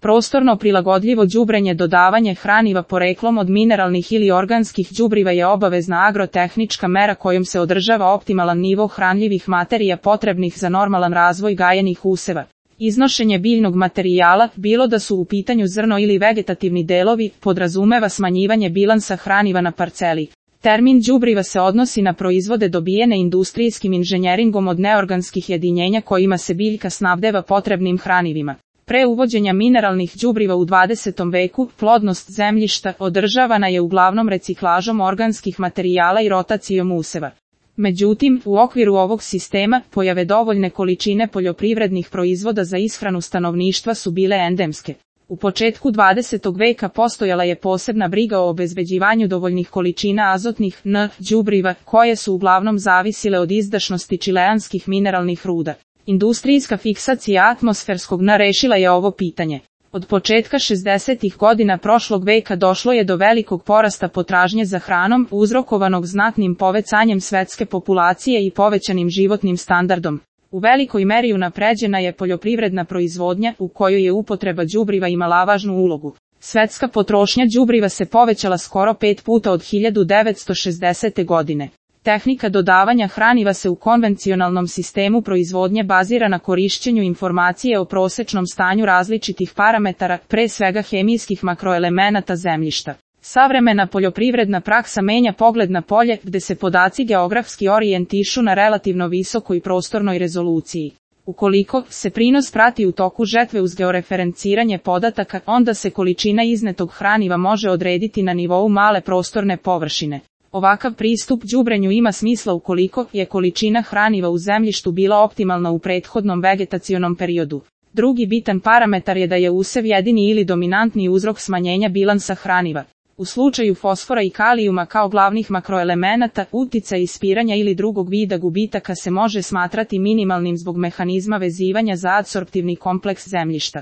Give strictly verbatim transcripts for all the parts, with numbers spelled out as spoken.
Prostorno prilagodljivo đubrenje. Dodavanje hraniva poreklom od mineralnih ili organskih đubriva je obavezna agrotehnička mera kojom se održava optimalan nivo hranljivih materija potrebnih za normalan razvoj gajenih useva. Iznošenje biljnog materijala, bilo da su u pitanju zrno ili vegetativni delovi, podrazumeva smanjivanje bilansa hraniva na parceli. Termin đubriva se odnosi na proizvode dobijene industrijskim inženjeringom od neorganskih jedinjenja kojima se biljka snabdeva potrebnim hranivima. Pre uvođenja mineralnih đubriva u dvadesetom veku, plodnost zemljišta održavana je uglavnom reciklažom organskih materijala i rotacijom useva. Međutim, u okviru ovog sistema, pojave dovoljne količine poljoprivrednih proizvoda za ishranu stanovništva su bile endemske. U početku dvadesetog veka postojala je posebna briga o obezbeđivanju dovoljnih količina azotnih N đubriva, koje su uglavnom zavisile od izdašnosti čileanskih mineralnih ruda. Industrijska fiksacija atmosferskog N rešila je ovo pitanje. Od početka šezdesetih godina prošlog veka došlo je do velikog porasta potražnje za hranom, uzrokovanog znatnim povećanjem svetske populacije i povećanim životnim standardom. U velikoj meri unapređena je poljoprivredna proizvodnja, u kojoj je upotreba đubriva imala važnu ulogu. Svetska potrošnja đubriva se povećala skoro pet puta od hiljadu devetsto šezdesete godine. Tehnika dodavanja hraniva se u konvencionalnom sistemu proizvodnje bazira na korišćenju informacije o prosečnom stanju različitih parametara, pre svega hemijskih makroelemenata zemljišta. Savremena poljoprivredna praksa menja pogled na polje, gde se podaci geografski orijentišu na relativno visokoj prostornoj rezoluciji. Ukoliko se prinos prati u toku žetve uz georeferenciranje podataka, onda se količina iznetog hraniva može odrediti na nivou male prostorne površine. Ovakav pristup đubrenju ima smisla ukoliko je količina hraniva u zemljištu bila optimalna u prethodnom vegetacionom periodu. Drugi bitan parametar je da je usev jedini ili dominantni uzrok smanjenja bilansa hraniva. U slučaju fosfora i kalijuma kao glavnih makroelemenata, uticaj ispiranja ili drugog vida gubitaka se može smatrati minimalnim zbog mehanizma vezivanja za adsorptivni kompleks zemljišta.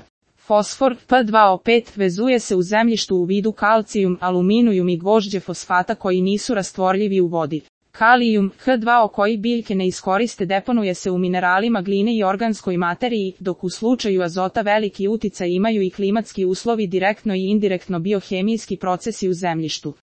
Fosfor, P dva O pet, vezuje se u zemljištu u vidu kalcijum, aluminijum i gvožđe fosfata koji nisu rastvorljivi u vodi. Kalijum, H dva O koji biljke ne iskoriste deponuje se u mineralima gline i organskoj materiji, dok u slučaju azota veliki uticaj imaju i klimatski uslovi direktno i indirektno biohemijski procesi u zemljištu.